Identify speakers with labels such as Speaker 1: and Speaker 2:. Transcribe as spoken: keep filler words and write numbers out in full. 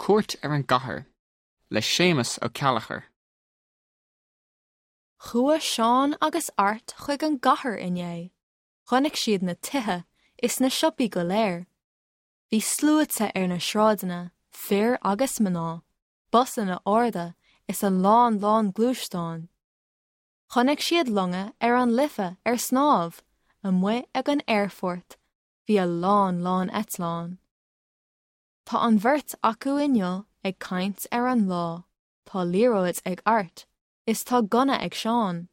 Speaker 1: Cuairt ar an gcathair le Séamus Ó Ceallachair.
Speaker 2: Chuaigh Seán agus Art chuig an gcathair inné, Chonaic siad na tithe is na siopaí go léir. Bhí sluaite ar na sráideanna, fir agus mná, busanna arda is a lán lán gluaisteán. Chonaic siad longa ar an Life ar snámh, amuigh ag an aerfort, bhí a lán lán eitleán. Tá an bheirt acu inniu ag caint ar an lá, Tá liathróid ag Art, is tá gunna ag Seán.